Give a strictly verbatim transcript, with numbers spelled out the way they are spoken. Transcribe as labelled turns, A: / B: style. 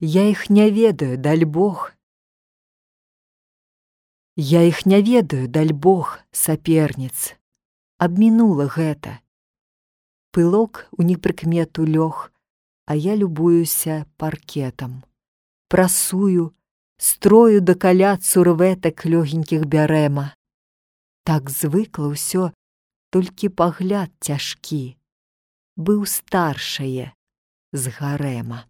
A: Я іх не ведаю, даль Бог. Я іх не ведаю, даль Бог, саперніц. Абмінула гэта. Пылок у непрыкмету лёг, а я любуюся паркетам. Прасую, строю да каля цурветак лёгенькіх бярэма. Так звыкла ўсё, толькі пагляд цяжкі. Быў старшае з гарэма.